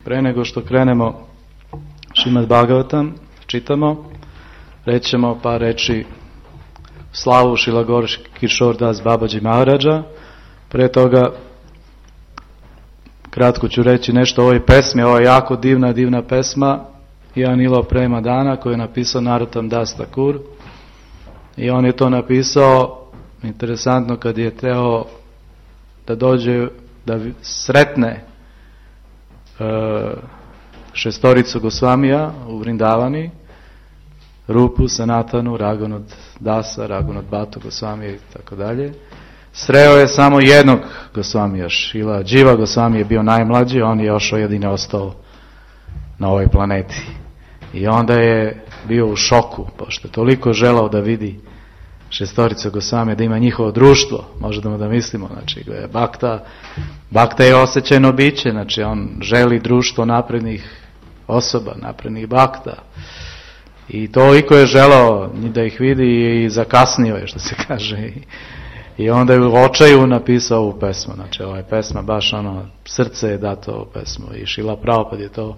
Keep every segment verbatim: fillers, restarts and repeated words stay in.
Pre nego što krenemo Šrimad Bhagavatam, čitamo, rećemo par reči slavu Šrila Gorki Kišor Das Babaji Maharaja. Pre toga kratko ću reći nešto o ovoj pesmi. Ovo je jako divna, divna pesma Anila Prema Dana koju je napisao Narottam Das Thakur. I on je to napisao, interesantno, kad je teo da dođe, da sretne šestoricu Gosvamija u Vrindavani, Rupu, Sanatanu, Raghunat Dasa, Raghunat Bhattu Gosvamija i tako dalje. Sreo je samo jednog Gosvamija, Šrila Dživa Gosvami je bio najmlađi, on je još jedini ostao na ovoj planeti. I onda je bio u šoku, pošto je toliko želao da vidi šestoricu Gosvamija, da ima njihovo društvo, možemo da mislimo, znači Bhakta, Bhakta je osjećajno biće, znači on želi društvo naprednih osoba, naprednih Bhakta. I toliko je želao da ih vidi i zakasnio je, što se kaže. I, i onda je u očaju napisao ovu pesmu, znači ova je pesma baš ono, srce je dato ovu pesmu. I Šrila Prabhupada je to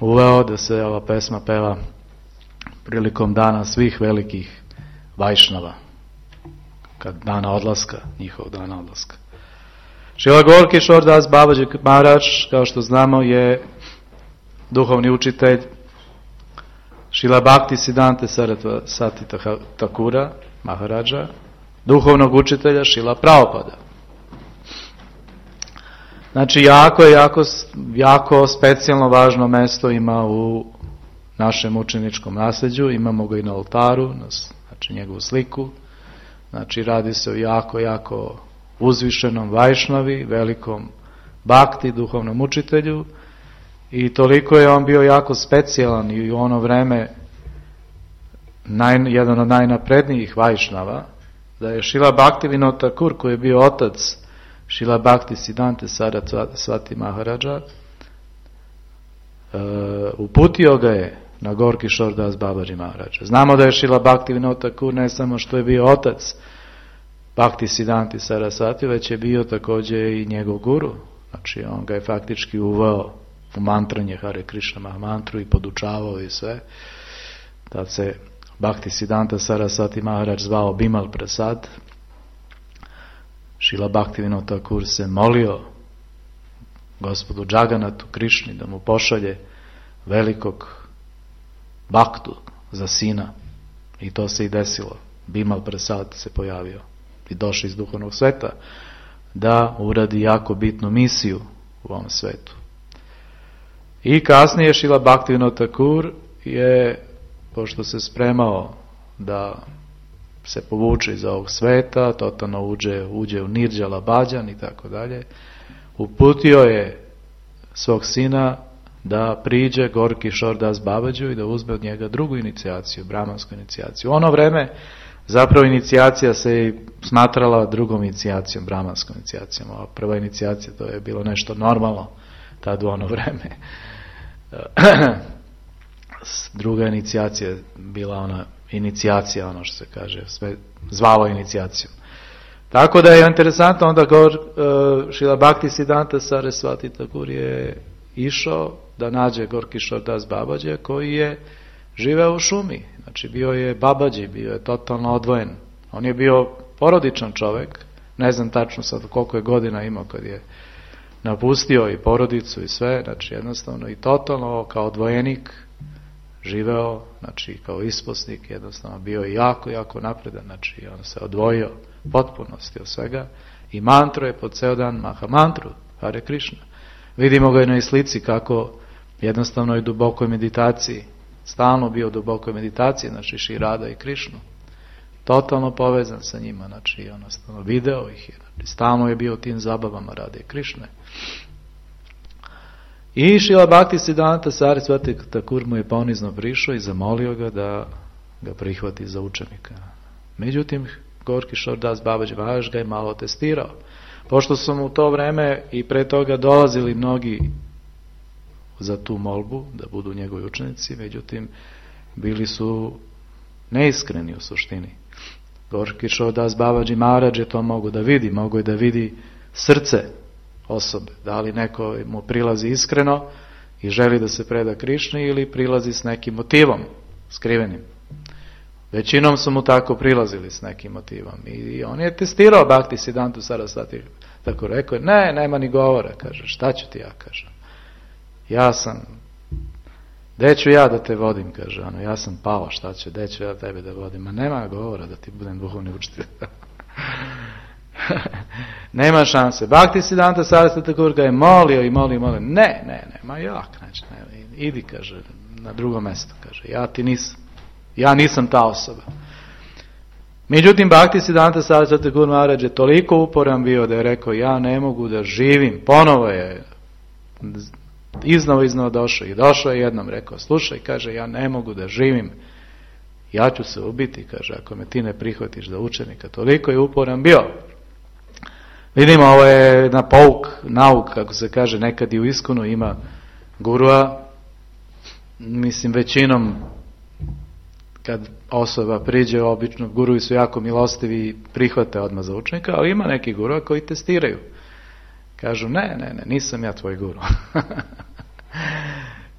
uveo da se ova pesma peva prilikom dana svih velikih Vajšnava, kad dana odlaska, njihov dana odlaska. Šrila Gorki Kišor Das Babaji Maharaj, kao što znamo, je duhovni učitelj Šrila Bhakti Siddhante Sarasvati Thakura Maharaja, duhovnog učitelja Šrila Prabhupada. Znači, jako, jako, jako specijalno važno mesto ima u našem učeničkom nasljeđu, imamo ga i na oltaru, znači njegovu sliku, znači radi se o jako, jako uzvišenom Vajšnavi, velikom Bhakti, duhovnom učitelju, i toliko je on bio jako specijalan i u ono vreme naj, jedan od najnaprednijih Vajšnava, da je Šrila Bhaktivinoda Thakur, koji je bio otac Šrila Bhakti Siddhante Sarasvati Maharaja, uh, uputio ga je na Gorki Kišor Das Babaji Maharaja. Znamo da je Šrila Bhaktivinoda Thakur ne samo što je bio otac Bhakti Siddhante Sarasvati, već je bio također i njegov guru. Znači on ga je faktički uveo u mantranje Hare Krishna Mahamantru i podučavao i sve. Tad se Bhakti Siddhanta Sarasvati Maharaj zvao Bimal Prasad. Šrila Bhaktivinoda Thakur se molio gospodu Džaganatu Krišni da mu pošalje velikog Bhaktu za sina. I to se i desilo. Bimal Prasad se pojavio i došao iz duhovnog sveta da uradi jako bitnu misiju u ovom svetu. I kasnije Šrila Bhaktivinoda Thakur je, pošto se spremao da se povuče iz ovog sveta, totalno uđe, uđe u Nirđala Bhajan i tako dalje, uputio je svog sina da priđe Gorki Kišor Das Babaji i da uzme od njega drugu inicijaciju, brahmansku inicijaciju. U ono vreme zapravo inicijacija se smatrala drugom inicijacijom, brahmanskom inicijacijom. A prva inicijacija, to je bilo nešto normalno tad u ono vreme. Druga inicijacija je bila ona inicijacija, ono što se kaže, sve zvalo inicijacijom. Tako da je interesantno onda Gor, uh, Šrila Bhakti Siddhanta Sarasvati Thakur je išao da nađe Gorki Kišor Das Babaji koji je živeo u šumi. Znači bio je Babaji, bio je totalno odvojen. On je bio porodičan čovjek, ne znam tačno sad koliko je godina imao kad je napustio i porodicu i sve, znači jednostavno i totalno kao odvojenik živeo, znači kao isposnik, jednostavno bio je jako, jako napredan, znači on se odvojio potpunosti od svega i mantro je po ceo dan Mahamantru, Hare Krishna. Vidimo ga i na slici kako jednostavno je u dubokoj meditaciji, stalno bio u dubokoj meditaciji, znači Šri Rada i Krišnu, totalno povezan sa njima, znači jednostavno video ih je, znači stalno je bio u tim zabavama Rade i Krišne. I Šrila Bhakti Siddhanta Sarasvati Thakur mu je ponizno prišao i zamolio ga da ga prihvati za učenika. Međutim, Gorki Kišor Das Babaji Maharaj ga je malo testirao. Pošto su mu u to vreme i pre toga dolazili mnogi za tu molbu, da budu njegovi učenici, međutim, bili su neiskreni u suštini. Gorki Kišor Das Babaji Maharaj je to mogu da vidi, mogu je da vidi srce osobe, da li neko mu prilazi iskreno i želi da se preda Krišni ili prilazi s nekim motivom skrivenim. Većinom su mu tako prilazili s nekim motivom i on je testirao Bhakti Siddhanta Sarasvati, tako rekao, ne, nema ni govora, kaže, šta ću ti ja, kaže, ja sam, gde ću ja da te vodim, kaže, ono, ja sam pao, šta ću, gde ću ja tebe da vodim, ma nema govora da ti budem duhovni učitelj. Nema šanse. Bhakti Siddhanta Sarasvati Thakur ga je molio i molio i molio, ne, ne, ne, ma jak, znači, ne, idi, kaže, na drugo mjesto, kaže, ja ti nisam, ja nisam ta osoba. Međutim, Bhakti Siddhanta Sarasvati Thakur Maharaj je toliko uporan bio da je rekao, ja ne mogu da živim, ponovo je iznova iznova došao i došao je jednom, rekao, slušaj, kaže, ja ne mogu da živim, ja ću se ubiti, kaže, ako me ti ne prihvatiš za učenika. Toliko je uporan bio. Vidimo, ovo je na pouk, nauk, kako se kaže, nekad i u Iskonu ima gurua, mislim, većinom kad osoba priđe, obično guruji su jako milostivi i prihvate odmah za učenika, ali ima neki gurua koji testiraju. Kažu, ne, ne, ne, nisam ja tvoj guru.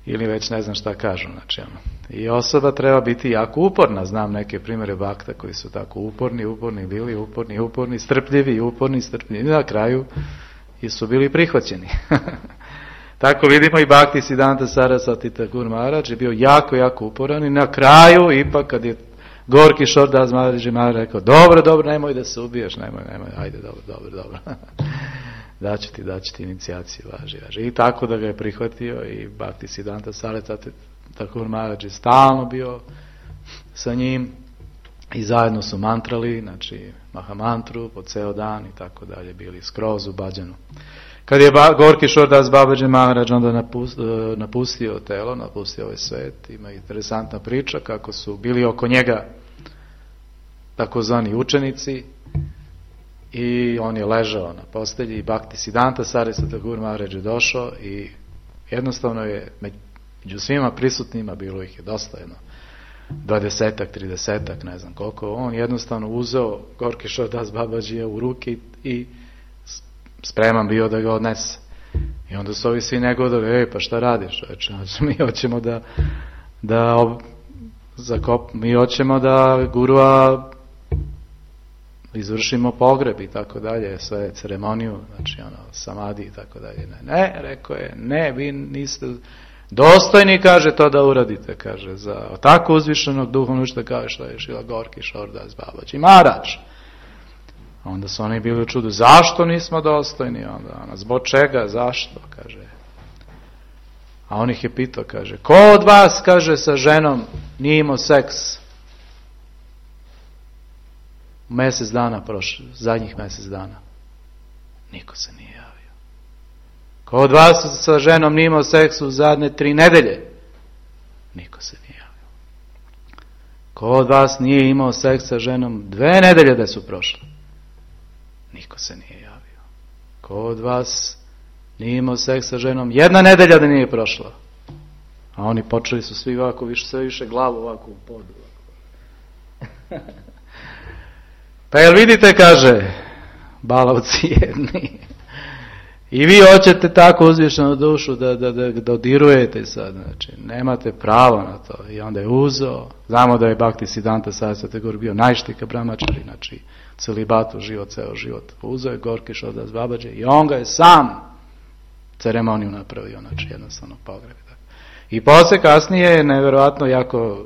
Ili već ne znam šta kažu. Znači, ono. I osoba treba biti jako uporna. Znam neke primjere bakta koji su tako uporni, uporni bili, uporni, uporni, strpljivi, uporni, strpljivi. I na kraju i su bili prihvaćeni. Tako vidimo i Bhakti Siddhanta Sarasvati Thakur Maharaj je bio jako, jako uporan i na kraju ipak kad je Gorki Šordas Maharaj Maharaj rekao, dobro, dobro, nemoj da se ubiješ, nemoj, nemoj, ajde, dobro, dobro, dobro. daću ti, daću ti inicijaciju, važi, važi. I tako da ga je prihvatio i Bhakti Siddhanta Sarasvati Thakur Maharaj je stalno bio sa njim i zajedno su mantrali, znači Mahamantru po ceo dan i tako dalje, bili skroz u bhađanu. Kad je Gorki Šordas Babaji Maharaj onda napustio telo, napustio ovaj svet, ima interesantna priča kako su bili oko njega takozvani učenici i on je ležao na postelji i Bhakti Siddhanta Sarasvati Thakur Maharaj je došao i jednostavno je među svima prisutnima, bilo ih je dosta, jedno dvadesetak, tridesetak, ne znam koliko, on jednostavno uzeo Gorki Šordas Babajija u ruke i spreman bio da ga odnese. I onda su ovi svi negodali, ej, pa šta radiš? Znači, mi hoćemo da, da ob, zakop, mi hoćemo da gurua izvršimo pogreb i tako dalje, sve ceremoniju, znači ono, samadi i tako dalje. Ne, ne, rekao je, ne, vi niste dostojni, kaže, to da uradite, kaže, za tako uzvišenog duhovnog učitelja kao što je Šrila Gorki Šordas Babaji Maharaj. Onda su oni bili u čudu, zašto nismo dostojni? Onda, ona, zbog čega, zašto, kaže. A on ih je pitao, kaže, ko od vas, kaže, sa ženom nije imao seks u mjesec dana prošlo, zadnjih mjesec dana? Niko se nije javio. Ko od vas sa ženom nije imao seks u zadnje tri nedelje? Niko se nije javio. Ko od vas nije imao seks sa ženom dve nedelje da su prošle? Niko se nije javio. Ko od vas nije imao seks sa ženom jedna nedelja da nije prošla? A oni počeli su svi ovako, više, sve više glavu ovako u podu. Pa jel vidite, kaže, balavci jedni, i vi hoćete tako uzvišenu dušu da, da, da, da dodirujete sad, znači, nemate pravo na to. I onda je uzeo, znamo da je Bhakti Siddhanta Sarasvati Thakur bio najštika brahmačari, znači, celibatu, život, ceo život. Uzeo je Gorki Šordas Babaji i on ga je sam ceremoniju napravio, znači, jednostavno pogreb. I posle kasnije je nevjerojatno, jako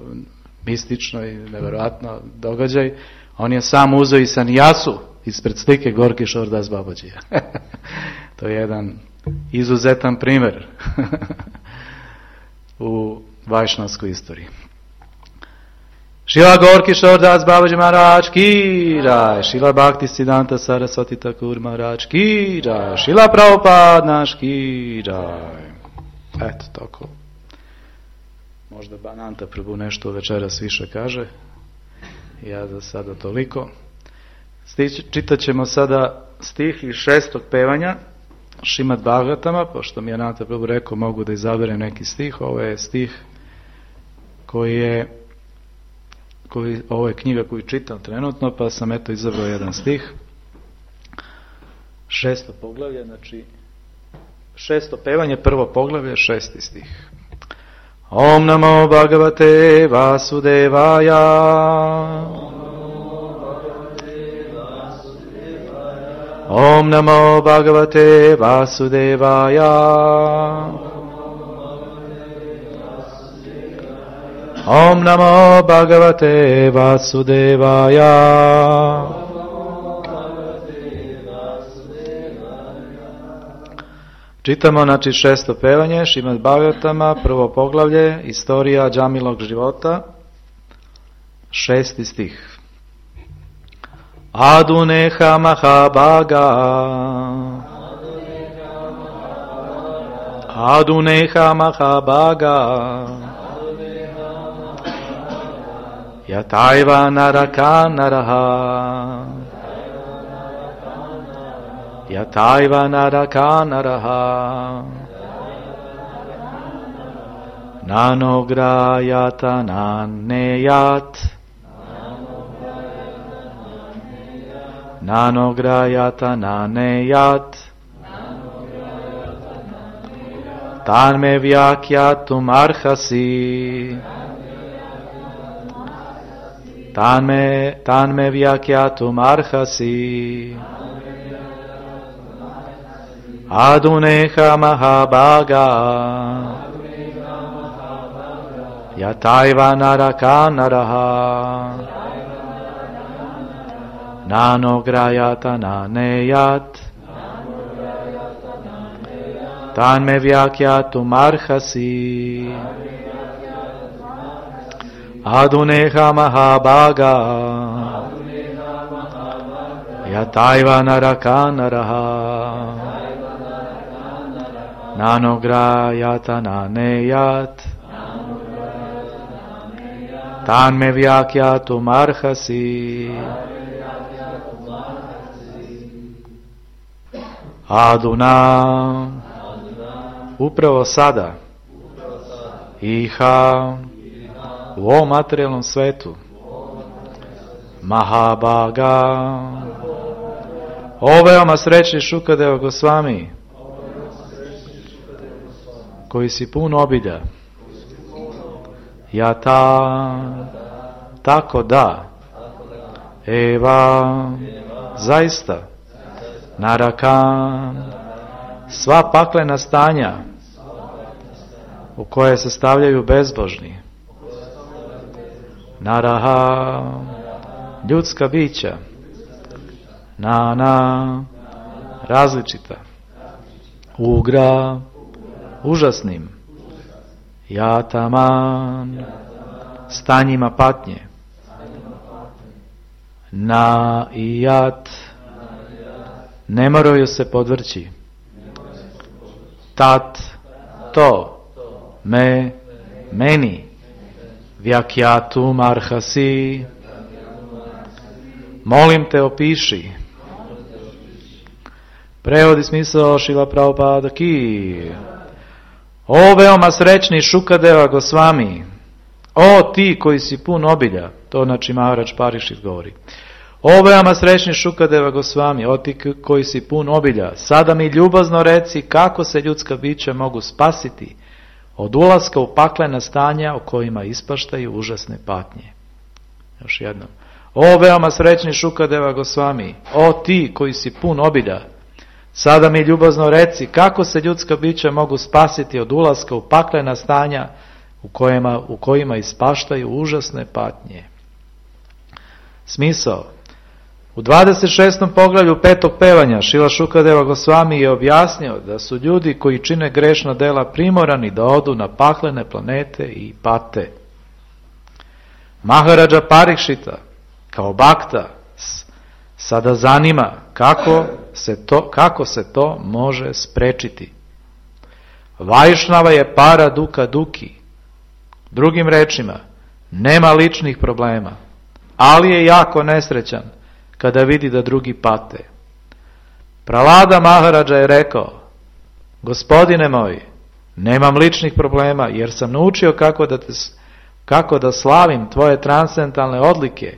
mistično i nevjerojatno događaj, on je sam uzeo i sanjasu ispred slike Gorki Šordas Babajija. To je jedan izuzetan primjer u vajšnavskoj istoriji. Šila Gorki Šordas Babaji Maharaj ki jai, Šila Bhakti Siddhanta Sarasvati Thakur Maharaj ki jai, Šila Prabhupada naš ki jai. Eto, tako. Možda Bananta Prabhu nešto večeras više kaže. Ja za sada toliko. Čitat ćemo sada stih iz šestog pevanja Šrimad Bhagavatama, pošto mi je Ananta Prabhu rekao mogu da izaberem neki stih. Ovo je stih koji je koji, ovo je knjiga koju čitam trenutno, pa sam eto izabrao jedan stih. Šesto poglavlje, znači Šesto pevanje, prvo poglavlje, šesti stih. Om namo bhagavate vasudevaya. Om namo bhagavate vasudevaya. Om namo bhagavate vasudevaya. Čitamo, znači, šesto pevanje, Šrimad Bhagavatama, prvo poglavlje, istorija Džamilog života, šesti stih. Aduneha mahabhaga. Aduneha mahabhaga. Yataiva naraka naraha. Yataiva naraka naraha. Nanograyata naneyat. Nanograyata naneyat. Tanme vyakyatum arhasi. Tanme, tanme vyakyatum arhasi. Aduneha mahabhaga. Yataiva naraka naraha. Nanograyata naneyat. Tanme vyakyatum arhasi. Aduneha mahabhaga. Yataiva naraka naraha. Nanograyata naneyat. Tanme vyakyatum arhasi. Aduna. Upravo sada. Iha. U ovom materijalnom svetu. Mahabhaga. O veoma srećni Šukadeva Gosvami, koji si pun obilja. Jata. Tako da. Eva. Zaista. Naraka. Sva paklena stanja u koje se stavljaju bezbožni. Naraha. Ljudska bića. Nana. Različita. Ugra. Užasnim. Jataman. Stanjima patnje. Na i jat. Ne moraju se podvrći. Tat. To. Me. Meni. Vyakyatum arhasi. Molim te, opiši. Prevodi smisao Šrila Prabhupada ki. O veoma srećni Šukadeva Gosvami, o ti koji si pun obilja, to znači Maharaj Parikšit govori. O veoma srećni Šukadeva Gosvami, o ti koji si pun obilja, sada mi ljubazno reci kako se ljudska bića mogu spasiti od ulaska u paklena stanja u kojima ispaštaju užasne patnje. Još jednom. O veoma srećni Šukadeva Gosvami, o ti koji si pun obilja, sada mi ljubazno reci kako se ljudska bića mogu spasiti od ulaska u paklena stanja u kojima, u kojima ispaštaju užasne patnje. Smisao. U dvadeset šestom poglavlju petog pevanja Šrila Šukadeva Gosvami je objasnio da su ljudi koji čine grešna dela primorani da odu na paklene planete i pate. Maharađa Parikšita kao bakta sada zanima kako se to, kako se to može sprečiti. Vajšnava je para duka duki. Drugim rečima, nema ličnih problema, ali je jako nesrećan kada vidi da drugi pate. Prahlada Maharađa je rekao, gospodine moj, nemam ličnih problema jer sam naučio kako da, te, kako da slavim tvoje transcendentalne odlike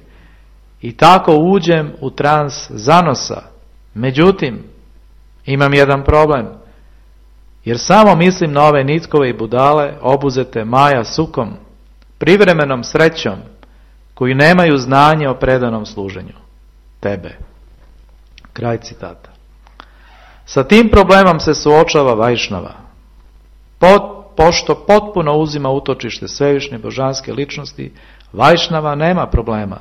i tako uđem u trans zanosa. Međutim, imam jedan problem. Jer samo mislim na ove nitkove i budale, obuzete Maja sukom, privremenom srećom, koji nemaju znanje o predanom služenju tebe. Kraj citata. Sa tim problemom se suočava Vajšnava. Pot, pošto potpuno uzima utočište svevišnje božanske ličnosti, Vajšnava nema problema,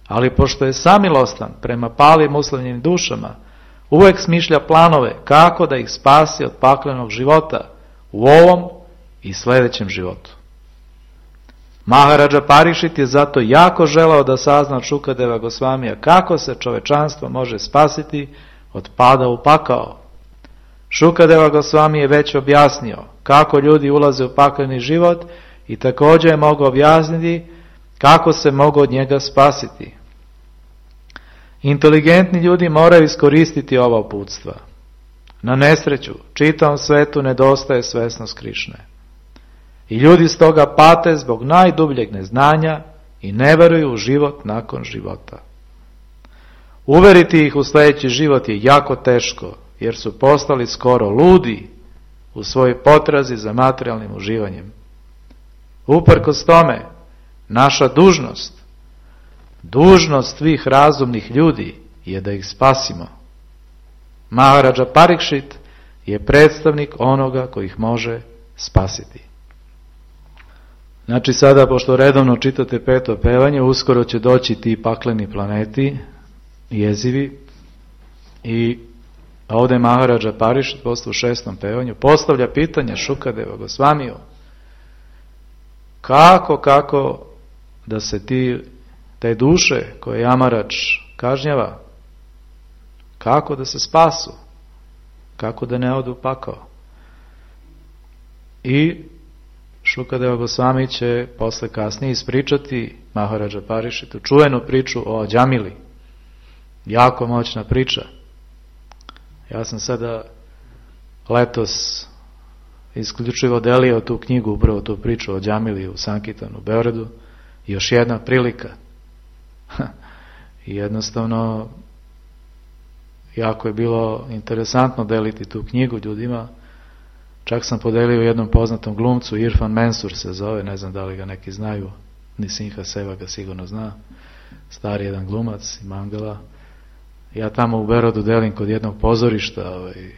ali pošto je samilostan prema palim uslovljenim dušama, uvek smišlja planove kako da ih spasi od paklenog života u ovom i sljedećem životu. Maharađa Parišit je zato jako želeo da sazna od Šukadeva Gosvamija kako se čovečanstvo može spasiti od pada u pakao. Šukadeva Gosvami je već objasnio kako ljudi ulaze u pakleni život i također je mogao objasniti kako se mogu od njega spasiti. Inteligentni ljudi moraju iskoristiti ova uputstva. Na nesreću, čitavom svetu nedostaje svesnost Krišne. I ljudi stoga pate zbog najdubljeg neznanja i ne veruju u život nakon života. Uveriti ih u sljedeći život je jako teško, jer su postali skoro ludi u svojoj potrazi za materijalnim uživanjem. Uprkos tome, naša dužnost, dužnost svih razumnih ljudi je da ih spasimo. Maharađa Parikšit je predstavnik onoga koji ih može spasiti. Znači sada, pošto redovno čitate peto pevanje, uskoro će doći ti pakleni planeti, jezivi, i ovdje Maharađa Parikšit posto u šestom pevanju postavlja pitanje Šukadeva Gosvamiju kako, kako da se ti, te duše koje Jamarač kažnjava, kako da se spasu, kako da ne odu u pakao. I Šukadeva Gosvami će posle kasnije ispričati Maharađa Parišitu čuvenu priču o Džamili. Jako moćna priča. Ja sam sada letos isključivo delio tu knjigu, upravo tu priču o Džamili u Sankitanu u Beogradu. Još jedna prilika. I jednostavno jako je bilo interesantno deliti tu knjigu ljudima. Čak sam podelio jednom poznatom glumcu, Irfan Mensur se zove, ne znam da li ga neki znaju, Nisinha Seva ga sigurno zna, stari jedan glumac i mangala. Ja tamo u Berodu delim kod jednog pozorišta, ovaj,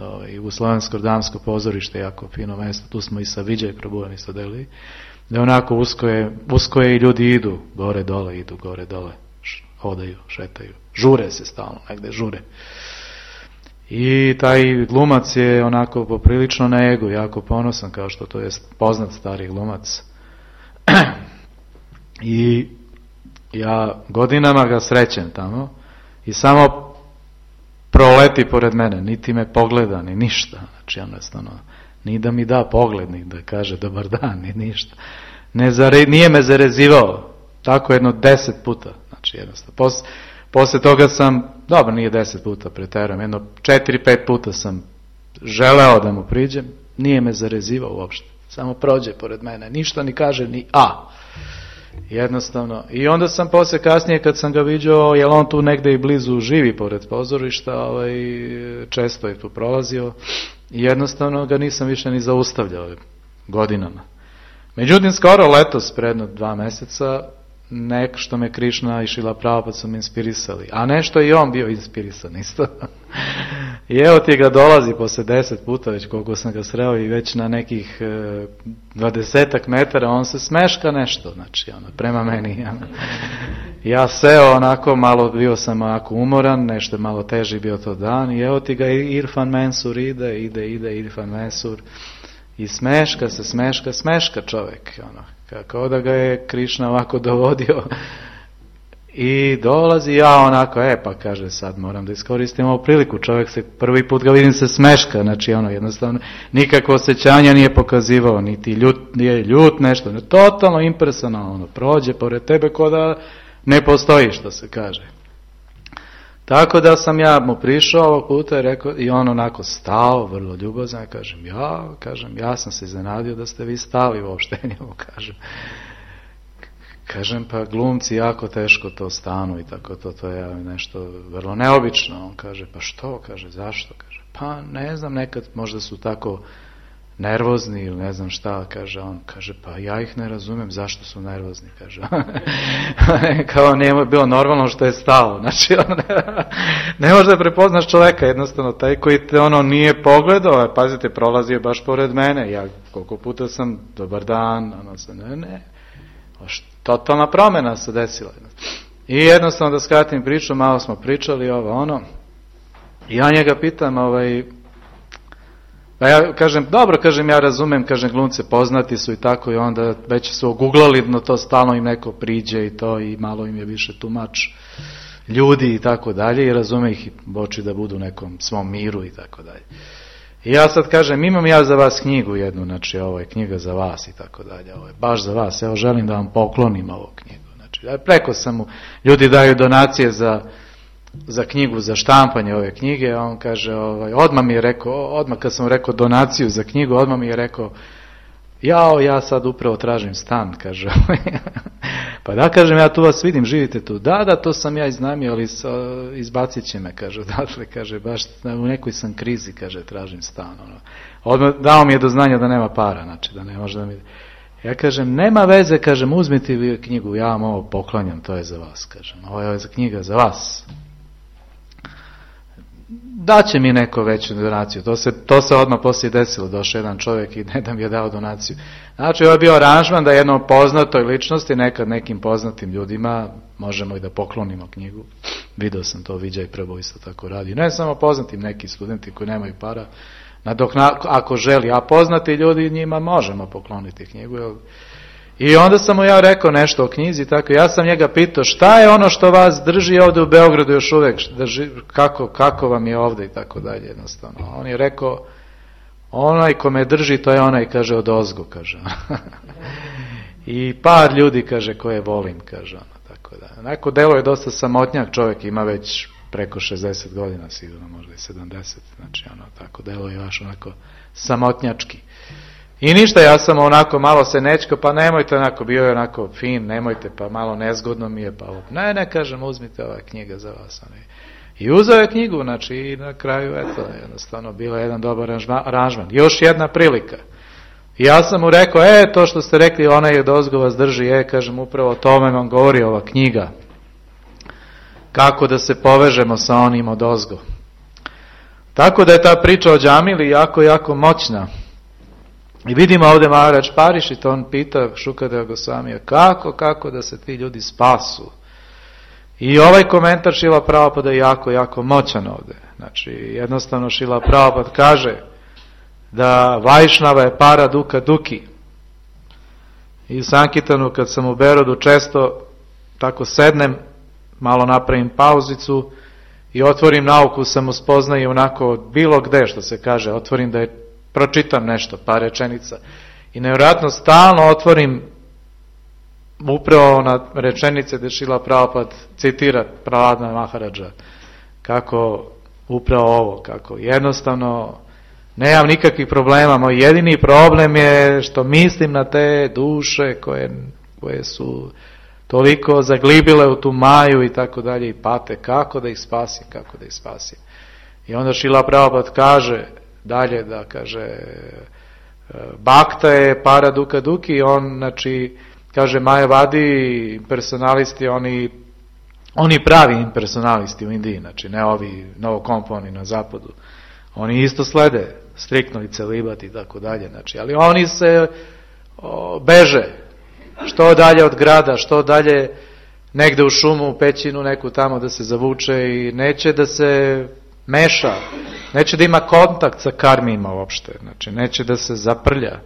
ovaj, Jugoslovensko-damsko pozorište, jako fino mjesto, tu smo i sa Viđaj Prabhujem isto delili, da onako usko je, usko je i ljudi idu, gore dole, idu gore dole, hodaju, šetaju, žure se stalno, negde žure. I taj glumac je onako poprilično na ego, jako ponosan, kao što to je poznat stari glumac. I ja godinama ga srećem tamo i samo proleti pored mene, niti me pogleda, ni ništa. Znači, jednostavno, ni da mi da pogled, ni da kaže dobar dan, ni ništa. Ne zare, nije me zarezivao, tako jedno deset puta. Znači, jednostavno, pos, posle toga sam, dobro, nije deset puta, preterujem, jedno četiri, pet puta sam želeo da mu priđem, nije me zarezivao uopšte. Samo prođe pored mene, ništa ni kaže, ni a. Jednostavno. I onda sam posle kasnije kad sam ga viđao, jer on tu negde i blizu živi pored pozorišta, ovaj, često je tu prolazio, i jednostavno ga nisam više ni zaustavljao godinama. Međutim, skoro letos, predno dva meseca, nek što me Krišna i Šrila Prabhupada su me inspirisali, a nešto i on bio inspirisan isto. I evo ti ga dolazi posle deset puta, već koliko sam ga sreo, i već na nekih dvadesetak metara on se smeška nešto, znači ono, prema meni. Ono. Ja seo onako, malo bio sam onako umoran, nešto malo teži bio to dan, i evo ti ga Irfan Mensur ide, ide, ide Irfan Mensur, i smeška se, smeška, smeška čovjek, ono, kako da ga je Krišna ovako dovodio. I dolazi, ja onako, e pa kaže, sad moram da iskoristim ovu priliku, čovjek se, prvi put ga vidim se smeška, znači ono, jednostavno, nikakvo osjećanja nije pokazivao, niti ljut, nije ljut, nešto, ne, totalno impersonalno, ono, prođe pored tebe ko da ne postoji, što se kaže. Tako da sam ja mu prišao ovog puta i rekao, i on onako stao, vrlo ljubazan, ja kažem, ja, kažem, ja sam se iznenadio da ste vi stali uopšte, njemu kažem. Kažem, pa glumci jako teško to stanu i tako to, to je nešto vrlo neobično. On kaže, pa što? Kaže, zašto? Kaže, pa ne znam, nekad možda su tako nervozni ili ne znam šta, kaže on, kaže, pa ja ih ne razumem zašto su nervozni, kaže. Kao nije bilo normalno što je stalo, znači on ne, ne može da prepoznaš čoveka, jednostavno taj koji te ono nije pogledao, pazite, prolazio baš pored mene, ja koliko puta sam, dobar dan, ono se, ne, ne, totalna promjena se desila. I jednostavno da skratim priču, malo smo pričali ovo ono, i ja njega pitam, ovaj, pa ja kažem, dobro, kažem, ja razumem, kažem, glumce poznati su i tako, i onda već su oguglali, no to stalno im neko priđe i to, i malo im je više tumač ljudi i tako dalje, i razume ih, boči da budu u nekom svom miru i tako dalje. I ja sad kažem, imam ja za vas knjigu jednu, znači ovo je knjiga za vas i tako dalje, ovo je baš za vas, evo želim da vam poklonim ovu knjigu. Znači, preko sam mu, ljudi daju donacije za za knjigu, za štampanje ove knjige, a on kaže, ovaj, odmah mi je rekao, odmah kad sam rekao donaciju za knjigu, odmah mi je rekao, jao, ja sad upravo tražim stan, kaže. Pa da, kažem, ja tu vas vidim, živite tu. Da, da, to sam ja iznajmio, ali izbacit će me, kaže, odatle, kaže, baš u nekoj sam krizi, kaže, tražim stan. Ono. Odmah dao mi je do znanja da nema para, znači, da ne može da mi... Ja kažem, nema veze, kažem, uzmite vi knjigu, ja vam ovo poklanjam, to je za vas, kažem, ovo je za knjiga za vas. Daće mi neko veću donaciju, to se, to se odmah poslije desilo, došao jedan čovjek i ne da mi je dao donaciju. Znači, ovo je bio aranžman da jednom poznatoj ličnosti, nekad nekim poznatim ljudima, možemo i da poklonimo knjigu. Video sam to, Viđaj Prbo isto tako radi. Ne samo poznatim, neki studenti koji nemaju para, nadokna, ako želi, a poznati ljudi, njima možemo pokloniti knjigu. Jel? I onda sam mu ja rekao nešto o knjizi, tako ja sam njega pitao šta je ono što vas drži ovdje u Beogradu još uvijek, kako, kako vam je ovdje i tako dalje jednostavno. On je rekao, onaj ko me drži, to je onaj, kaže, od ozgo, kaže. I par ljudi, kaže, koje volim, kaže. Tako da. Neko delo je dosta samotnjak, čovjek ima već preko šezdeset godina, sigurno možda i sedamdeset, znači ono, tako delo je baš onako samotnjački. I ništa, ja sam onako malo se nečko, pa nemojte onako, bio je onako fin, nemojte, pa malo nezgodno mi je, pa ne, ne, kažem, uzmite ova knjiga za vas. Ne. I uzeo je knjigu, znači i na kraju, eto, jednostavno, bila je jedan dobar aranžman. Još jedna prilika. I ja sam mu rekao, e, to što ste rekli, ona je dozgo vas drži, e, kažem, upravo o tome vam govori ova knjiga. Kako da se povežemo sa onim od ozgo. Tako da je ta priča o džamili jako, jako moćna. I vidimo ovdje Maharač Parišit, on pita Šukadeva Gosvamija, kako, kako da se ti ljudi spasu. I ovaj komentar Šrila Prabhupada je jako, jako moćan ovdje. Znači, jednostavno Šrila Prabhupada kaže da Vajšnava je para duka duki. I u Sankitanu, kad sam u Berodu, često tako sednem, malo napravim pauzicu i otvorim nauku samospoznaje onako bilo gde, što se kaže, otvorim da je pročitam nešto, par rečenica. I nevjerojatno stalno otvorim upravo na rečenice gdje Šrila Prabhupada citira Prahlada Maharadža. Kako upravo ovo, kako jednostavno nemam nikakvih problema. Moj jedini problem je što mislim na te duše koje, koje su toliko zaglibile u tu maju i tako dalje i pate. Kako da ih spasim, kako da ih spasim. I onda Šrila Prabhupada kaže dalje da kaže Bhakta je para duka duki, on znači kaže Majavadi impersonalisti, oni oni pravi impersonalisti u Indiji, znači ne ovi novokomponi na zapadu, oni isto slede striktno i celibat i tako dalje, znači, ali oni se o, beže što dalje od grada, što dalje negde u šumu, u pećinu neku tamo da se zavuče i neće da se meša, neće da ima kontakt sa karmima uopšte, znači neće da se zaprlja.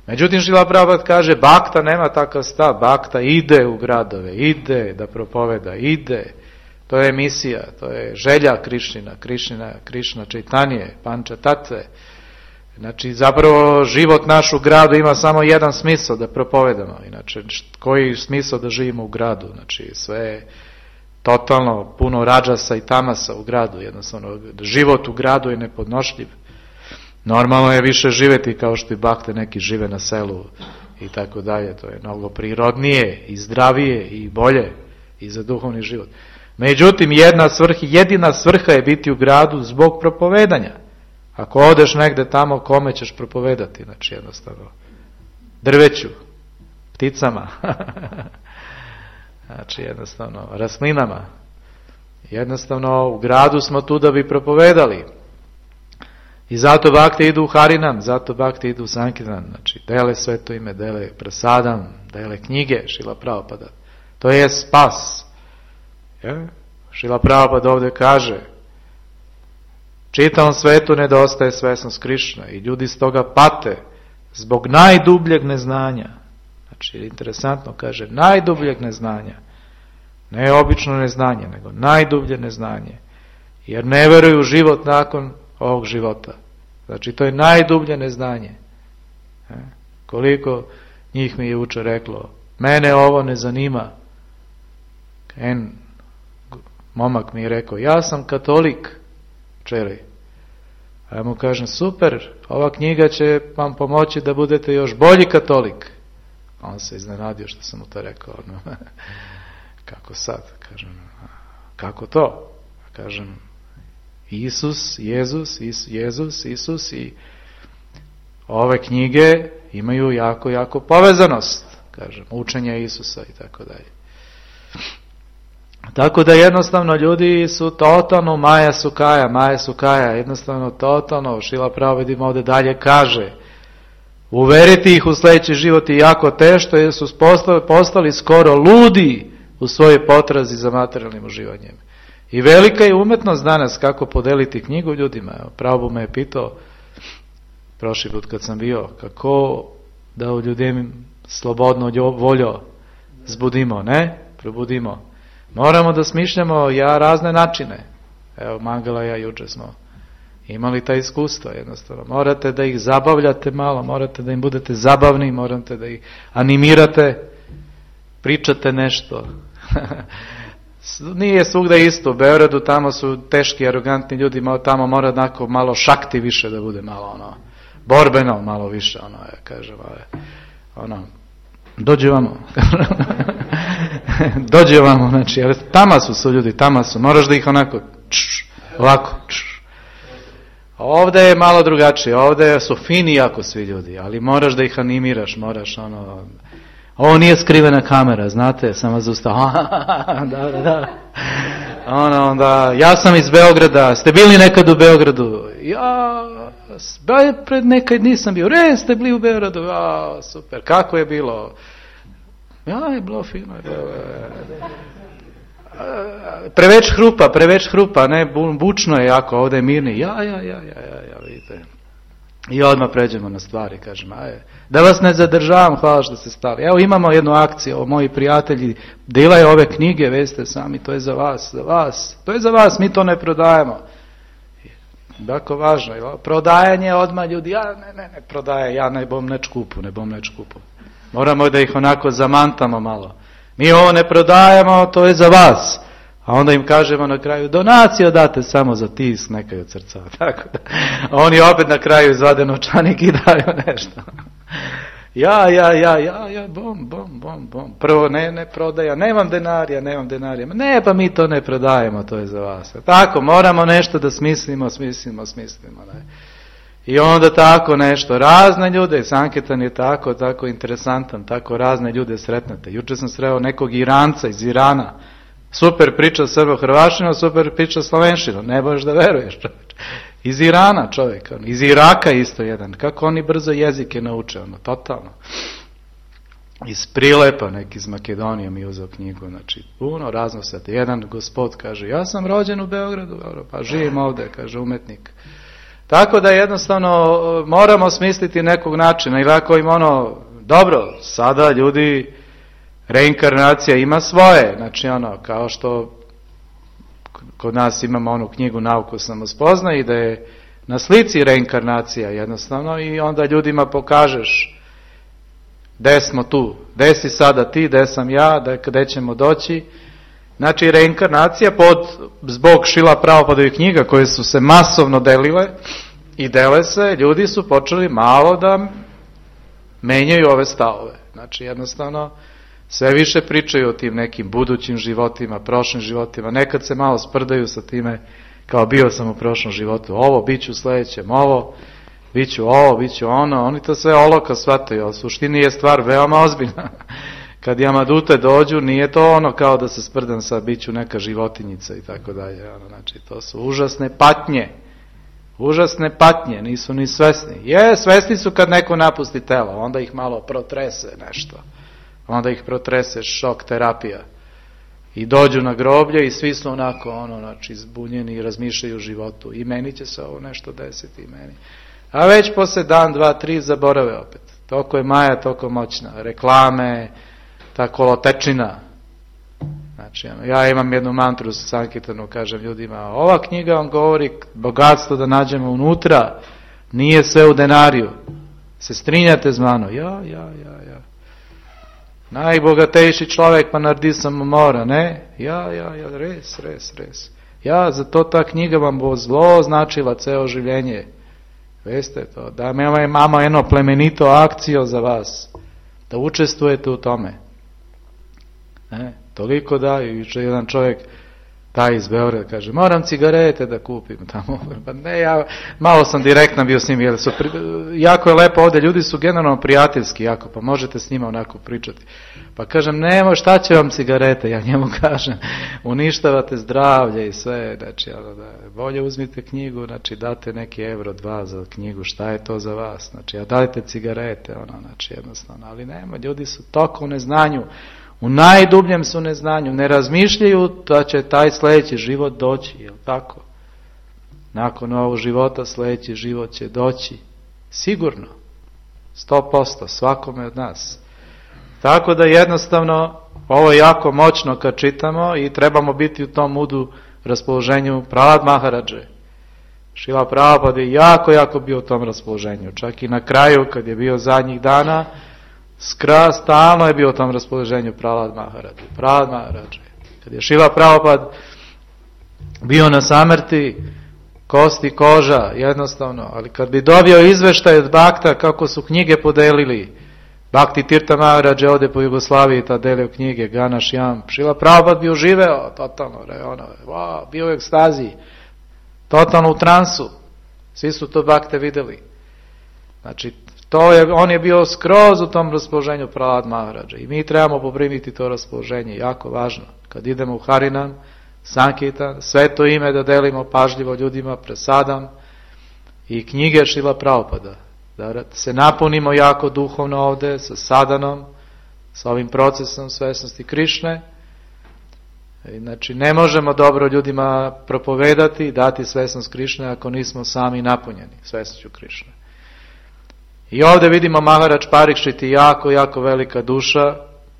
Međutim, Šrila Prabhupada kaže, Bhakta nema takav stav, Bhakta ide u gradove, ide da propoveda, ide, to je misija, to je želja Krišnina, Krišnina, Krišna Čaitanije, Panča Tatve. Znači, zapravo život naš u gradu ima samo jedan smisao da propovedamo, inače, koji smisao da živimo u gradu, znači sve je totalno puno rađasa i tamasa u gradu, jednostavno život u gradu je nepodnošljiv. Normalno je više živeti kao što i Bhakte neki žive na selu i tako dalje, to je mnogo prirodnije i zdravije i bolje i za duhovni život. Međutim, jedna svrha, jedina svrha je biti u gradu zbog propovedanja. Ako odeš negde tamo, kome ćeš propovedati? Znači jednostavno drveću, pticama, znači jednostavno raslinama. Jednostavno u gradu smo tu da bi propovedali. I zato bakte idu u Harinam, zato bakte idu u Sankirtan, znači dele sveto ime, dele prasadam, dele knjige Šrila Prabhupada. To je spas. Je? Šrila Prabhupada ovdje kaže, čitavom svetu nedostaje svesnost Krišna i ljudi s toga pate zbog najdubljeg neznanja. Znači, interesantno kaže, najdubljeg neznanja. Ne obično neznanje, nego najdublje neznanje. Jer ne veruju u život nakon ovog života. Znači, to je najdublje neznanje. E? Koliko njih mi je jučer reklo, mene ovo ne zanima. En momak mi je rekao, ja sam katolik, čeli. A ja mu kažem, super, ova knjiga će vam pomoći da budete još bolji katolik. A on se iznenadio što sam mu to rekao. No, kako sad? Kažem, kako to? Kažem, Isus, Jezus, Is, Jezus, Isus i ove knjige imaju jako, jako povezanost. Kažem, učenja Isusa i tako dalje. Tako da jednostavno ljudi su totalno Maja Sukaja, Maja Sukaja, jednostavno totalno, Šrila Prabhupada im ovdje dalje kaže, uveriti ih u sljedeći život je jako teško jer su postali, postali skoro ludi u svojoj potrazi za materijalnim uživanjem. I velika je umetnost danas kako podeliti knjigu ljudima. Prabhupada me je pitao, prošli put kad sam bio, kako da u ljudima slobodno voljo zbudimo, ne? Probudimo. Moramo da smišljamo ja razne načine. Evo, Mangala i ja juče smo imali ta iskustva jednostavno. Morate da ih zabavljate malo, morate da im budete zabavni, morate da ih animirate, pričate nešto. Nije svugda isto. U Beogradu tamo su teški, arogantni ljudi, tamo mora onako malo šakti više da bude, malo ono, borbeno malo više, ono, ja kažem, ono, dođe vamo. Dođe vamo, znači, tama su su ljudi, tama su, moraš da ih onako, čš, ovako, čš. Ovdje je malo drugačije, ovdje su fini jako svi ljudi, ali moraš da ih animiraš, moraš ono, ovo nije skrivena kamera, znate, samo zaustav, da, da, da. Ono, onda, ja sam iz Beograda, ste bili nekad u Beogradu? Ja, pred nekad nisam bio, re, ste bili u Beogradu, ja, super, kako je bilo? Ja, je bilo fino. Je bilo, preveć hrupa, preveć hrupa, ne, bučno je jako, ovdje je mirni. Ja, ja, ja, ja, ja, ja, vidite. I odmah pređemo na stvari, kažem, aj, da vas ne zadržavam, hvala što ste stali. Evo imamo jednu akciju, ovo, moji prijatelji delaju ove knjige, veste sami, to je za vas, za vas, to je za vas, mi to ne prodajemo. Jako važno je, prodajanje odmah ljudi, ja ne, ne, ne prodaje, ja ne bom neč kupu, ne bom neč kupu. Moramo da ih onako zamantamo malo. Mi ovo ne prodajemo, to je za vas. A onda im kažemo na kraju, donaciju date samo za tisk nekaj od srca. Tako da, a oni opet na kraju izvade novčanik i daju nešto. Ja, ja, ja, ja, ja, bom, bom, bom, bom. Prvo, ne, ne prodaja, nemam denarija, nemam denarija. Ne, pa mi to ne prodajemo, to je za vas. Tako, moramo nešto da smislimo, smislimo, smislimo. Ne? I onda tako nešto, razne ljude, Sankirtan je tako, tako interesantan, tako razne ljude sretnete. Juče sam sreo nekog Iranca iz Irana, super priča srbo-hrvašino, super priča slovenšino, ne možeš da veruješ, čovječ. Iz Irana čovjek, iz Iraka isto jedan, kako oni brzo jezike nauče, ono, totalno. Iz Prilepa, neki iz Makedonije mi je uzeo knjigu, znači puno razno sveta. Jedan gospod kaže, ja sam rođen u Beogradu, pa živim ovdje, kaže umetnik. Tako da jednostavno moramo smisliti nekog načina, ili ako im ono, dobro, sada ljudi, reinkarnacija ima svoje, znači ono, kao što kod nas imamo onu knjigu Nauku samospoznaje i da je na slici reinkarnacija jednostavno i onda ljudima pokažeš gde smo tu, gde si sada ti, gde sam ja, gde ćemo doći. Znači reinkarnacija pod, zbog Šrila Prabhupadovih knjiga koje su se masovno delile i dele se, ljudi su počeli malo da menjaju ove stavove. Znači jednostavno sve više pričaju o tim nekim budućim životima, prošlim životima, nekad se malo sprdaju sa time kao bio sam u prošlom životu ovo, bit ću u sljedećem ovo, bit ću ovo, bit ću ono, oni to sve olako shvataju, a u suštini je stvar veoma ozbiljna. Kad jamadute dođu, nije to ono kao da se sprdam sa bit ću neka životinjica i tako dalje. Znači, to su užasne patnje. Užasne patnje, nisu ni svesni. Je, svesni su kad neko napusti telo, onda ih malo protrese nešto. Onda ih protrese šok terapija. I dođu na groblje i svi su onako, ono, znači, zbunjeni i razmišljaju o životu. I meni će se ovo nešto desiti, i meni. A već poslije dan, dva, tri zaborave opet. Toliko je Maja, toliko moćna. Reklame, ta kolotečina. Znači, ja imam jednu mantru sa Sankirtanu, kažem ljudima, ova knjiga vam govori bogatstvo da nađemo unutra, nije sve u denariju. Se strinjate s mano? Ja, ja, ja, ja. Najbogatejši čovjek pa naredi sam mora, ne? Ja, ja, ja, res, res, res. Ja, zato ta knjiga vam bo zlo značila ceo življenje. Veste to, da imamo jedno plemenito akcijo za vas, da učestvujete u tome. Ne? Toliko da, i jedan čovjek, taj iz Beograda, kaže, moram cigarete da kupim tamo. Pa ne, ja malo sam direktno bio s njim, jer su, jako je lepo ovdje, ljudi su generalno prijateljski, jako, pa možete s njima onako pričati. Pa kažem, nemo, šta će vam cigarete? Ja njemu kažem, uništavate zdravlje i sve, znači, da, bolje uzmite knjigu, znači, date neki euro, dva za knjigu, šta je to za vas? Znači, a dajte cigarete, ono, znači, jednostavno, ali nema, ljudi su toliko u neznanju, u najdubljem su neznanju, ne razmišljaju da će taj sljedeći život doći, jel tako? Nakon ovog života sljedeći život će doći, sigurno, sto posto, svakome od nas. Tako da jednostavno, ovo je jako moćno kad čitamo i trebamo biti u tom mudu raspoloženju Prahlad Maharadže. Šrila Prabhupada je jako, jako bio u tom raspoloženju, čak i na kraju kad je bio zadnjih dana, skra, stalno je bio u tom raspoloženju Prahlad Maharadže. Prahlad Maharadže. Kad je Šrila Prabhupada bio na samrti, kosti, koža, jednostavno, ali kad bi dobio izveštaj od Bhakta kako su knjige podelili, Bhakti Tirtha Maharadže ovdje po Jugoslaviji ta delio knjige, Gana Šjam, Šrila Prabhupada bio živeo, totalno, ono, wow, bio u ekstaziji, totalno u transu, svi su to Bhakte vidjeli. Znači, to je, on je bio skroz u tom raspoloženju Prahlad Maharadže i mi trebamo poprimiti to raspoloženje, jako važno. Kad idemo u Harinam, Sankirtan, sveto ime da delimo pažljivo ljudima, presadam i knjige Šrila Prabhupada. Da se napunimo jako duhovno ovdje sa sadanom, sa ovim procesom svesnosti Krišne. Znači, ne možemo dobro ljudima propovedati i dati svesnost Krišne ako nismo sami napunjeni svesnošću Krišne. I ovdje vidimo Maharaj Parikšit je jako, jako velika duša.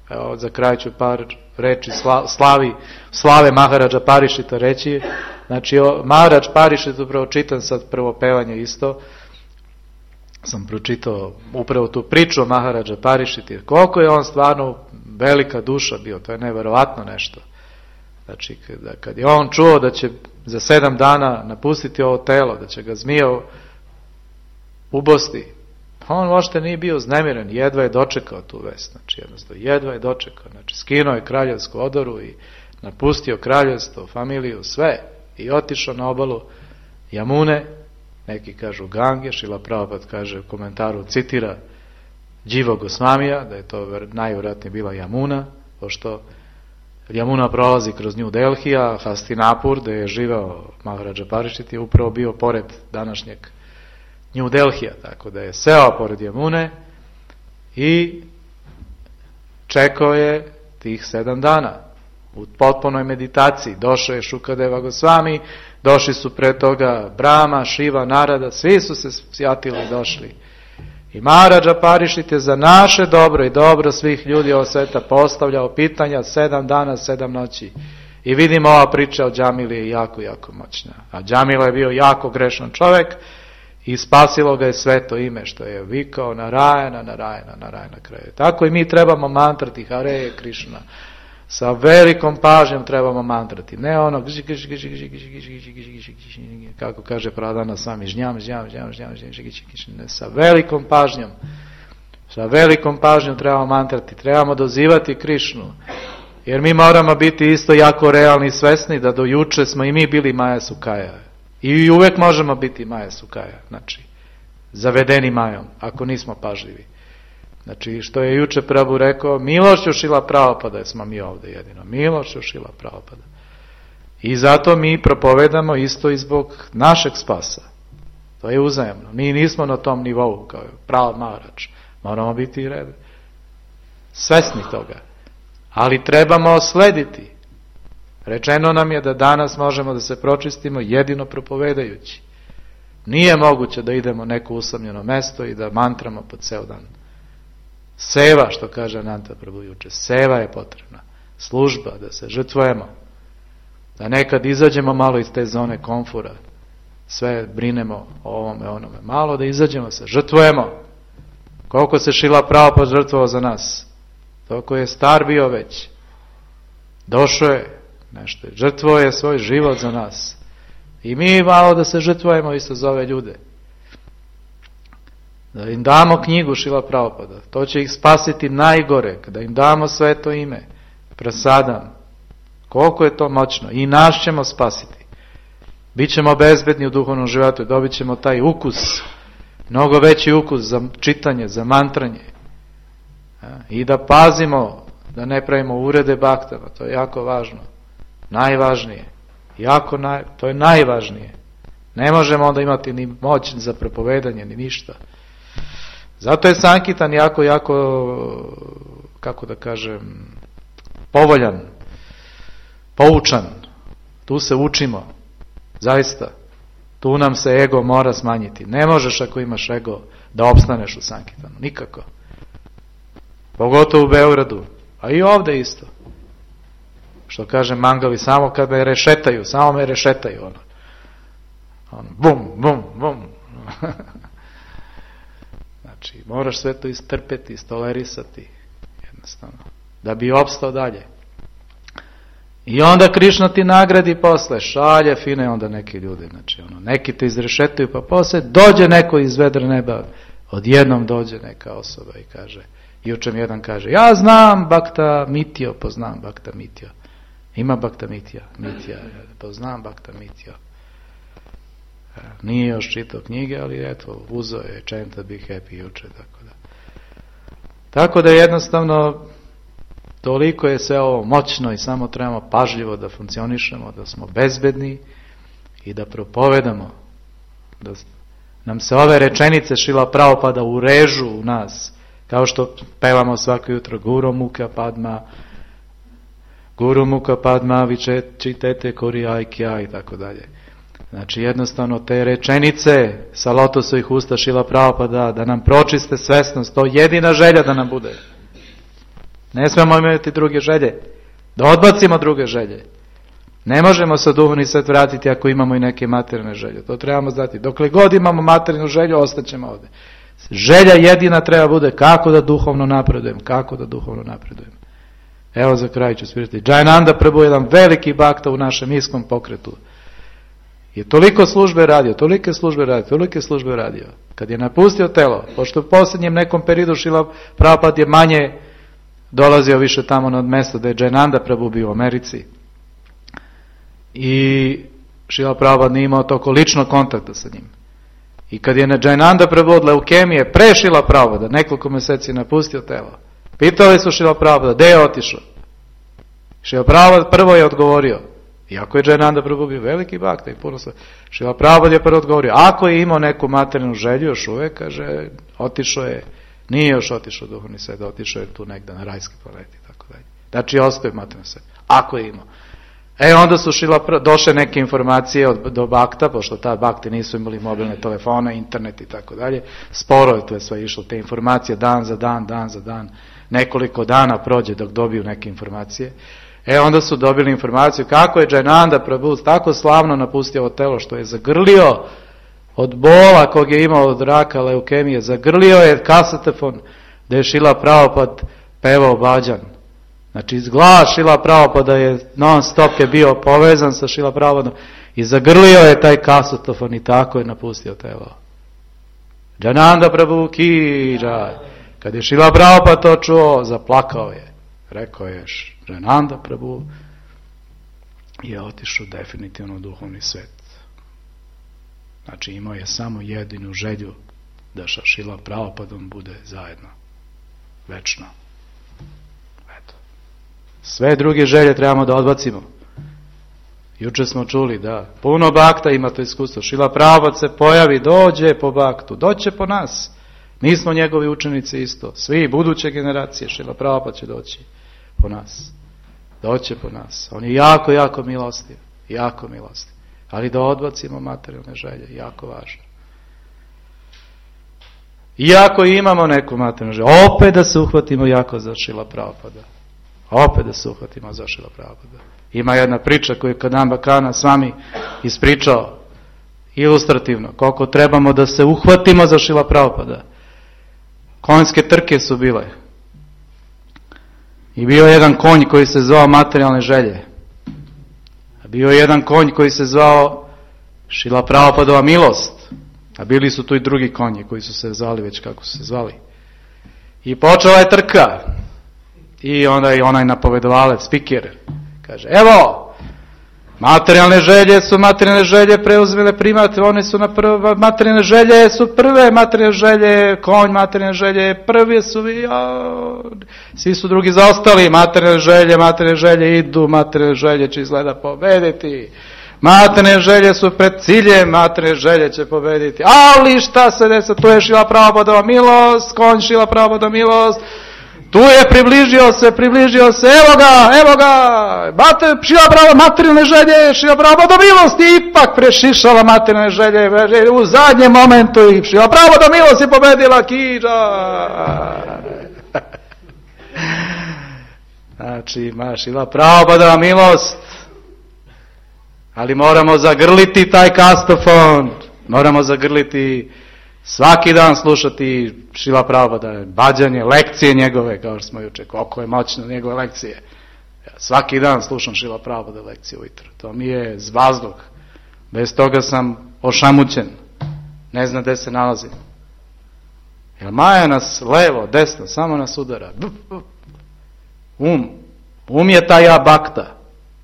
Evo, za kraj ću par reči slavi, slave Maharaja Parikšita reći. Znači, Maharaj Parikšit, upravo čitam sad prvo pevanje isto, sam pročitao upravo tu priču o Maharaja Parikšita, koliko je on stvarno velika duša bio, to je nevjerovatno nešto. Znači, kada, kad je on čuo da će za sedam dana napustiti ovo telo, da će ga zmija ubosti, on uopšte nije bio znemiren, jedva je dočekao tu vest, znači jednostavno, jedva je dočekao, znači skinuo je kraljevsku odoru i napustio kraljevstvo, familiju, sve, i otišao na obalu Jamune, neki kažu Gange, Šrila Prabhupada kaže u komentaru, citira Dživa Gosvamija, da je to najvjerojatnije bila Jamuna, pošto Jamuna prolazi kroz New Delhi, a Hastinapur, gdje je živeo Maharaj Parikšit, je upravo bio pored današnjeg New Delhija, tako da je seo pored Jamune i čekao je tih sedam dana u potpunoj meditaciji. Došao je Šukadeva Gosvami, došli su pre toga Brahma, Šiva, Narada, svi su se sjatili i došli. I Maharaj Parikšit je za naše dobro i dobro svih ljudi ovog sveta postavljao pitanja sedam dana, sedam noći. I vidimo, ova priča o Džamili je jako, jako moćna. A Džamila je bio jako grešan čovjek i spasilo ga je sveto ime što je vikao Narajana, Narajana, Narajana kraju. Tako i mi trebamo mantrati Hare Krišna. Sa velikom pažnjom trebamo mantrati. Ne ono, kako kaže Pradana sami, žnjam, žnjam, žnjam, žnjam, žnjam, ne, sa velikom pažnjom. Sa velikom pažnjom trebamo mantrati. Trebamo dozivati Krišnu. Jer mi moramo biti isto jako realni i svesni da do juče smo i mi bili Maja Sukaja. I uvek možemo biti Maja Sukaja. Znači, zavedeni Majom, ako nismo pažljivi. Znači, što je juče Prabhu rekao, milošću Šrila Prabhupada smo mi ovde jedino. Milošću Šrila Prabhupada. I zato mi propovedamo isto i zbog našeg spasa. To je uzajemno. Mi nismo na tom nivou kao Prahlad Maharač. Moramo biti red. Svesni toga. Ali trebamo slediti. Rečeno nam je da danas možemo da se pročistimo jedino propovedajući. Nije moguće da idemo neko usamljeno mesto i da mantramo po ceo dan. Seva, što kaže Ananta Prabhu juče, seva je potrebna. Služba, da se žrtvujemo. Da nekad izađemo malo iz te zone komfora. Sve brinemo o ovome, onome. Malo da izađemo se, žrtvujemo. Koliko se Šrila Prabhupada žrtvovao za nas. Toliko je star bio već. Došao je nešto. Žrtvovao je svoj život za nas. I mi malo da se žrtvujemo isto za ove ljude. Da im damo knjigu Šrila Prabhupada. To će ih spasiti najgore. Kada im damo sveto ime. Prasadam. Koliko je to moćno. I nas ćemo spasiti. Bićemo bezbedni u duhovnom životu. Dobit ćemo taj ukus. Mnogo veći ukus za čitanje, za mantranje. I da pazimo da ne pravimo urede baktama. To je jako važno. Najvažnije. Jako naj, to je najvažnije. Ne možemo onda imati ni moć za propovedanje, ni ništa. Zato je Sankitan jako, jako, kako da kažem, povoljan, poučan. Tu se učimo. Zaista. Tu nam se ego mora smanjiti. Ne možeš ako imaš ego da opstaneš u Sankitanu. Nikako. Pogotovo u Beogradu. A i ovde isto. Što kaže Mangali, samo kad me rešetaju, samo me rešetaju. Ono. Ono, bum, bum, bum. Znači, moraš sve to istrpeti, istolerisati. Jednostavno. Da bi opstao dalje. I onda Krišna ti nagradi posle, šalje fine onda neki ljudi. Znači, ono, neki te izrešetaju, pa posle dođe neko iz vedra neba. Odjednom dođe neka osoba i kaže, juče mi jedan kaže, ja znam Bhakta Mitio, poznam Bhakta Mitio. Ima Bhakta Mitija, Mitija, poznam Bhakta Mitio. Nije još čitao knjige, ali eto, uzeo je Chant Be Happy juče, tako da. Tako da jednostavno, toliko je sve ovo moćno i samo trebamo pažljivo da funkcionišemo, da smo bezbedni i da propovedamo, da nam se ove rečenice Šrila Prabhupada urežu u nas, kao što pevamo svako jutro Guru Mukha Padma, Guru Mukha Padma Vičitete Koriyai Kya i tako dalje. Znači jednostavno te rečenice sa lotosovih usta Šrila Prabhupada da nam pročiste svesnost, to je jedina želja da nam bude. Ne smemo imati druge želje. Da odbacimo druge želje. Ne možemo se duhovni svet vratiti ako imamo i neke materijalne želje. To trebamo znati. Dokle god imamo materijalnu želju, ostaćemo ovde. Želja jedina treba bude kako da duhovno napredujem. Kako da duhovno napredujem. Evo za kraj ću svirati. Jayananda Prabhu je jedan veliki bakta u našem iskom pokretu. Je toliko službe radio, tolike službe radio, tolike službe radio. Kad je napustio telo, pošto u posljednjem nekom periodu Šrila Prabhupada je manje dolazio više tamo na mjesto da je Jayananda Prabhu bio u Americi. I Šrila Prabhupada nije imao toliko ličnog kontakta sa njim. I kad je na Jayananda Prabhu od leukemije pre Šrila Prabhupada nekoliko mjeseci napustio telo, pitali su Šrila Prabhupada, gde je otišao? Šrila Prabhupada prvo je odgovorio, iako je Jayananda Prabhu bio veliki bakta i puno sve, Šrila Prabhupada je prvo odgovorio, ako je imao neku materijalnu želju još uvek, kaže, otišao je, nije još otišao duhovni svet, otišao je tu negde na rajskoj planeti, tako dalje. Znači, ostaje materijalni svet, ako je imao. E, onda su Šrila, došle neke informacije od, do bakta, pošto ta bakti nisu imali mobilne telefone, internet i tako dalje, sporo je to je sve išlo, te informacije dan za dan, dan za dan, nekoliko dana prođe dok dobiju neke informacije. E, onda su dobili informaciju kako je Jayananda Prabhu tako slavno napustio ovo telo što je zagrlio od bola kog je imao od raka, leukemije, zagrlio je kasetofon da je Šrila Prabhupada pevao bhajan. Znači, glas Šrila Prabhupada je non stop je bio povezan sa Šrila Prabhupadom i zagrlio je taj kasetofon i tako je napustio telo. Jayananda Prabhu ki jai. Kad je Šrila Prabhupada to čuo, zaplakao je. rekao je Renanda Prabhu, je otišao definitivno u duhovni svet. Znači imao je samo jedinu želju da sa Šrila Prabhupadom bude zajedno. Večno. Eto. Sve druge želje trebamo da odbacimo. Juče smo čuli da puno bakta ima to iskustvo. Šrila Prabhupada se pojavi, dođe po baktu, doće po nas. Mi smo njegovi učenici isto. Svi buduće generacije Šrila Prabhupada će doći po nas. Doće po nas. On je jako, jako milostiv. Jako milostiv. Ali da odbacimo materijalne želje. Jako važno. Iako imamo neku materijalnu želju, opet da se uhvatimo jako za Šrila Prabhupada. Opet da se uhvatimo za Šrila Prabhupada. Ima jedna priča koju je Kadamba Kana s vami ispričao ilustrativno. Koliko trebamo da se uhvatimo za Šrila Prabhupada. Konjske trke su bile. I bio je jedan konj koji se zvao materijalne želje. A bio je jedan konj koji se zvao Šrila Prabhupadova milost. A bili su tu i drugi konji koji su se zvali već kako su se zvali. I počela je trka. I onda i onaj napovedovalac, spiker, kaže, evo, materijalne želje su materijalne želje preuzmele primat, one su na prve, materijalne želje su prve, materijalne želje, konj, materijalne želje, prvi su, ja, svi su drugi zaostali, materijalne želje, materijalne želje idu, materijalne želje će izgleda pobediti, materijalne želje su pred ciljem, materijalne želje će pobediti, ali šta se desa, tu je Šrila Prabhupadova milost, konj Šrila Prabhupadova milost, tu je približio se, približio se, evo ga, evo ga, Šrila Prabhupada materijalne želje, Šrila Prabhupada milosti, ipak prešišala materijalne želje, u zadnjem momentu i Šrila Prabhupada milost je pobedila Kiđa. Znači, ima Šrila Prabhupada milost, ali moramo zagrliti taj kastofon, moramo zagrliti, svaki dan slušati Šrila Prabhupada, bađanje, lekcije njegove, kao što smo juče, koliko je moćno njegove lekcije. Ja svaki dan slušam Šrila Prabhupada lekcije ujutro. To mi je zvazduh. Bez toga sam ošamućen. Ne znam gde se nalazim. Jer Maja nas levo, desno, samo nas udara. Um. Um je ta ja bakta.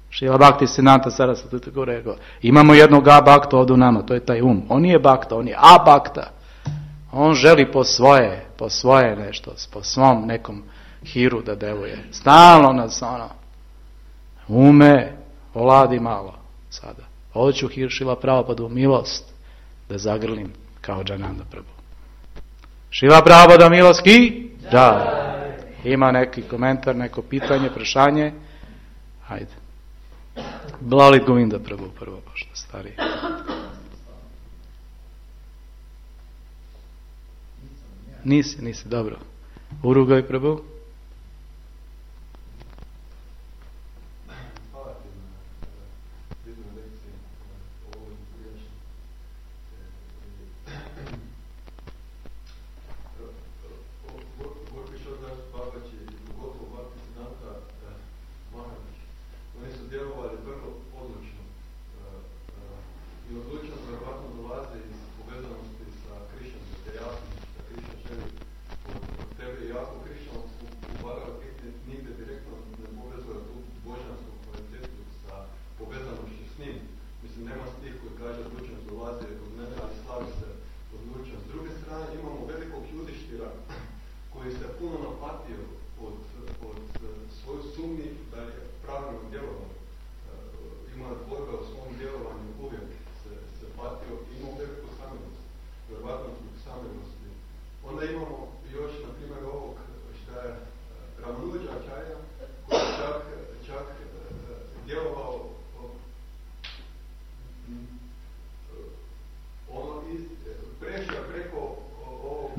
Šrila Bhakti Siddhanta Saraswati Thakur rekao. Imamo jednog a bakta ovdje u nama, to je taj um. On nije bakta, on je a bakta. On želi po svoje, po svoje nešto, po svom nekom hiru da deluje. Stalno nas ono, ume, oladi malo sada. Hoću hir Šrila Prabhupada milost da zagrlim kao Džananda Prabhu. Šrila Prabhupada milost ki? Da. Ima neki komentar, neko pitanje, prešanje? Hajde. Lalit Govinda Prabhu prvo, pošto stari. Nisi, nisi, dobro. Urugaj Prabhu.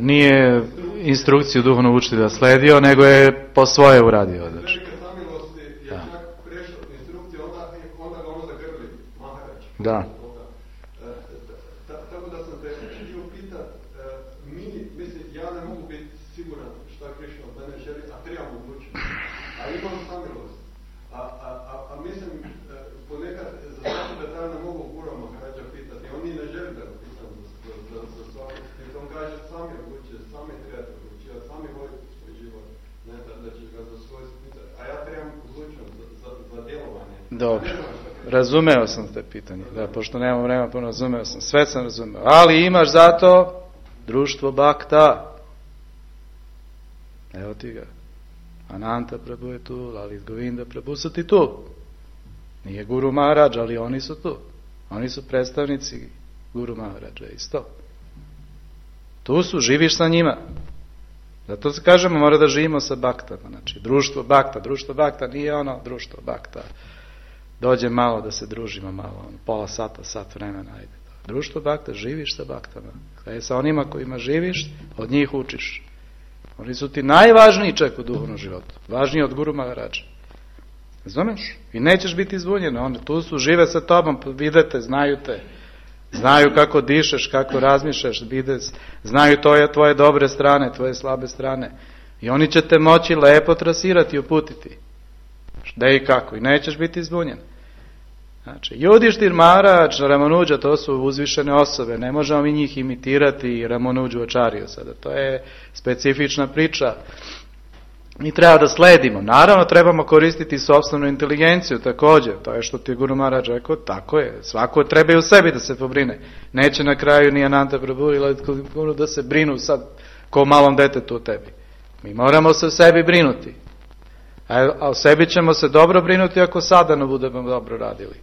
Nije instrukciju duhovnog učitelja sledio, nego je po svoje uradio. Znači. Da. Da. Tako da sam te htio pitat, mi, mislim, ja ne mogu biti siguran šta Krišna od mene želi, a trebam odlučiti. A imam samilost. A, a, a, a mislim, ponekad za svaki detalj ne mogu Guru Maharaja pitati. On ni ne želi da pitam za, za, za svaki. Jer on kaže, sami odlučuje, sami trebate odlučivati, sami volite svoj život. Ne, da, da će ga za svoj pitati. A Dobro. Razumeo sam te pitanje. Da, pošto nemam vremena, puno razumeo sam. Sve sam razumeo. Ali imaš zato društvo Bhakta. Evo ti ga. Ananta Prabhu je tu, Lalit Govinda Prabhu su ti tu. Nije Guru Maharaj, ali oni su tu. Oni su predstavnici Guru Maharaja isto. Tu su, živiš sa njima. Zato se kažemo, mora da živimo sa baktama. Znači, društvo Bhakta, društvo Bhakta nije ono društvo Bhakta. Dođe malo da se družimo malo, ono, pola sata, sat vremena, ajde. Društvo Bhakta, živiš sa baktama. Kada sa onima kojima živiš, od njih učiš. Oni su ti najvažniji čak u duhovnom životu. Važniji od Guru Maharaja. Razumeš? I nećeš biti zbunjen. Oni tu su, žive sa tobom, vide te, znaju te. Znaju kako dišeš, kako razmišljaš, vide, znaju tvoje, tvoje dobre strane, tvoje slabe strane. I oni će te moći lepo trasirati i uputiti. Da i kako. I nećeš biti zbunjen. Znači, Judištir Maharaj, Ramanuđa, to su uzvišene osobe. Ne možemo mi njih imitirati i Ramanuđu Ačariju sada. To je specifična priča. Mi treba da sledimo. Naravno, trebamo koristiti sopstvenu inteligenciju također. To je što ti je Guru Maharaj rekao, tako je. Svako treba i u sebi da se pobrine. Neće na kraju ni Ananta Prabhu ili Guru da se brinu sad ko malom detetu u tebi. Mi moramo se o sebi brinuti. A o sebi ćemo se dobro brinuti ako sadano budemo dobro radili.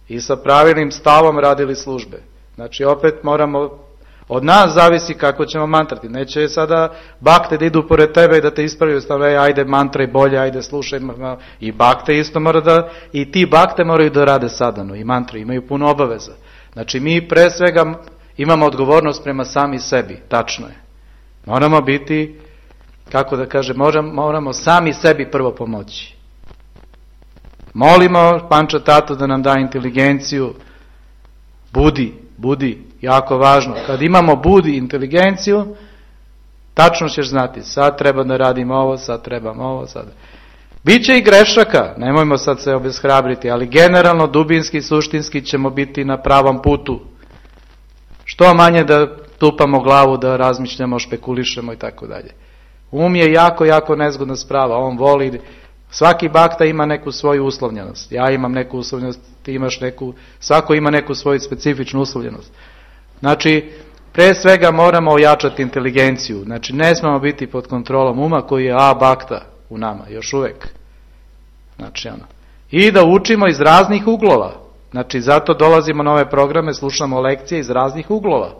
I sa pravilnim stavom radili službe. Znači opet moramo, od nas zavisi kako ćemo mantrati. Neće sada bakte da idu pored tebe i da te ispravljaju, stavljaju, ajde mantraj bolje, ajde slušaj. I bakte isto mora da, i ti bakte moraju da rade sadano. I mantre imaju puno obaveza. Znači mi pre svega imamo odgovornost prema sami sebi. Tačno je. Moramo biti, kako da kaže, moramo, moramo sami sebi prvo pomoći. Molimo Panča Tatu da nam da inteligenciju, budi, budi, jako važno. Kad imamo budi inteligenciju, tačno ćeš znati, sad treba da radim ovo, sad trebam ovo, sad. Biće i grešaka, nemojmo sad se obeshrabriti, ali generalno, dubinski, suštinski ćemo biti na pravom putu. Što manje da tupamo glavu, da razmišljamo, špekulišemo i tako dalje. Um je jako, jako nezgodna sprava, on voli. Svaki bakta ima neku svoju uslovljenost. Ja imam neku uslovljenost, ti imaš neku, svako ima neku svoju specifičnu uslovljenost. Znači, pre svega moramo ojačati inteligenciju. Znači, ne smemo biti pod kontrolom uma koji je a bakta u nama, još uvek. Znači, ono. I da učimo iz raznih uglova. Znači, zato dolazimo na ove programe, slušamo lekcije iz raznih uglova.